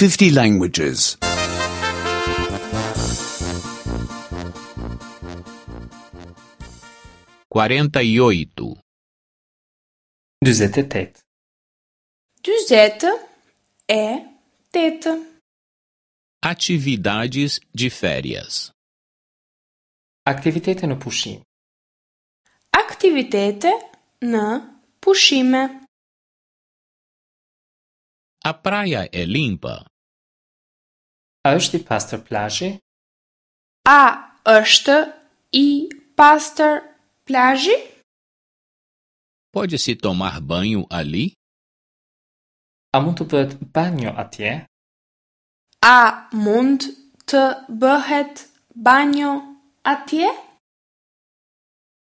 50 languages. 48. 48. 48. Atividades de férias. Aktivitete në pushim. Aktivitete në pushime. A praia é limpa? A është i pastër plazhi? A është i pastër plazhi? Pode-se tomar banho ali? A mund të bëhet banjo atje? A mund të bëhet banjo atje?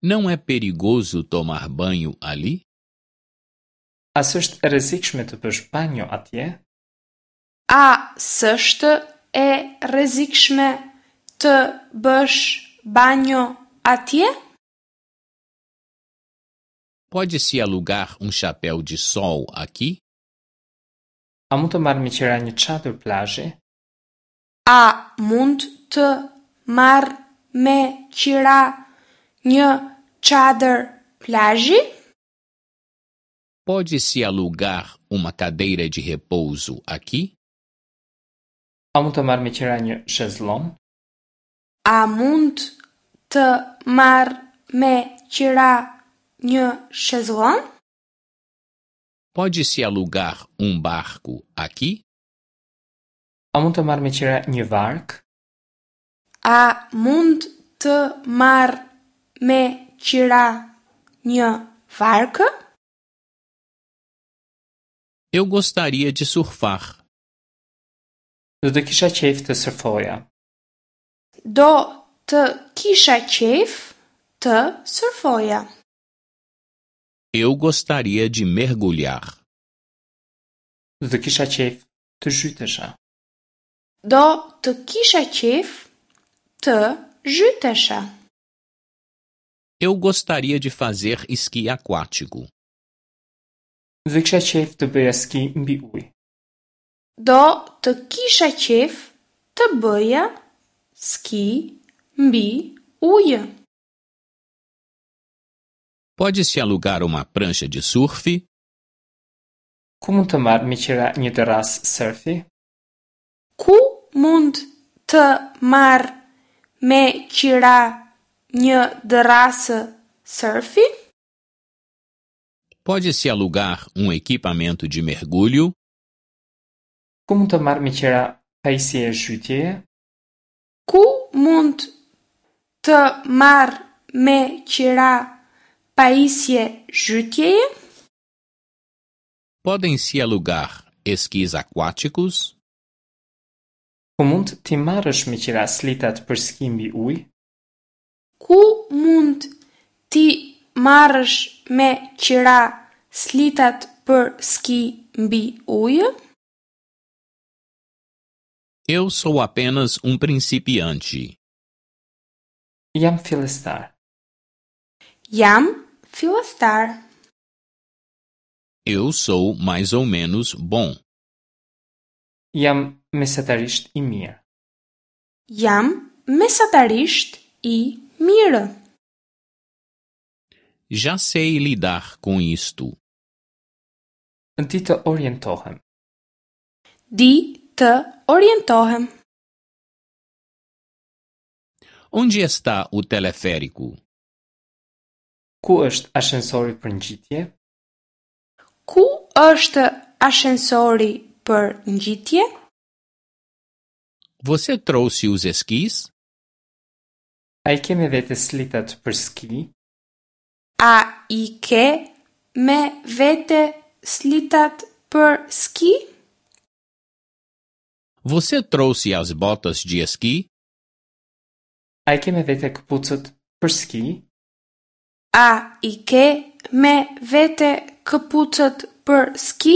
Não é perigoso tomar banho ali? A s'është e rrezikshme të bësh banjo atje? A s'është e rrezikshme të bësh banjo atje? Pode-se alugar um chapéu de sol aqui? A mund të marr me qira një çadër plazhi? A mund të marr me qira një çadër plazhi? Pode-se alugar uma cadeira de repouso aqui? A mund të marr me qira një shezlon? A mund të marr me qira një shezlon? Pode-se alugar um barco aqui? A mund të marr me qira një varkë? A mund të marr me qira një varkë? Eu gostaria de surfar. Do të kisha qejf të sërfoja. Do të kisha qejf të sërfoja. Eu gostaria de mergulhar. Do të kisha qejf të zhytesha. Do të kisha qejf të zhytesha. Eu gostaria de fazer esqui aquático. Do të kisha qejf të bëja ski mbi ujë. Do të kisha qejf të bëja ski mbi ujë. Pode-se alugar uma prancha de surf? Ku mund të marr me qira një dërrasë sërfi? Ku mund të marr me qira një dërrasë sërfi? Pode-se alugar um equipamento de mergulho? Ku mund të marr me qira pajisje zhytjeje? Ku mund të marr me qira pajisje zhytjeje? Podem-se alugar esquis aquáticos? Ku mund t'i marrësh me qira slitat për ski mbi ujë? Ku mund t'i marrësh me qira slitat për ski mbi ujë? Eu sou apenas um principiante. Jam fillestar. Jam fillestar. Eu sou mais ou menos bom. Jam mesatarisht i mirë. Jam mesatarisht i mirë. Já sei lidar com isto. Di të orientohem. Di të orientohem. Onde está o teleférico? Ku është ashensori për ngjitje? Ku është ashensori për ngjitje? Você trouxe os esquis? A i ke me vete slitat për ski? A i ke me vete slitat për ski? Você trouxe as botas de esqui? A i ke me vete këpucët për ski? A i ke me vete këpucët për ski?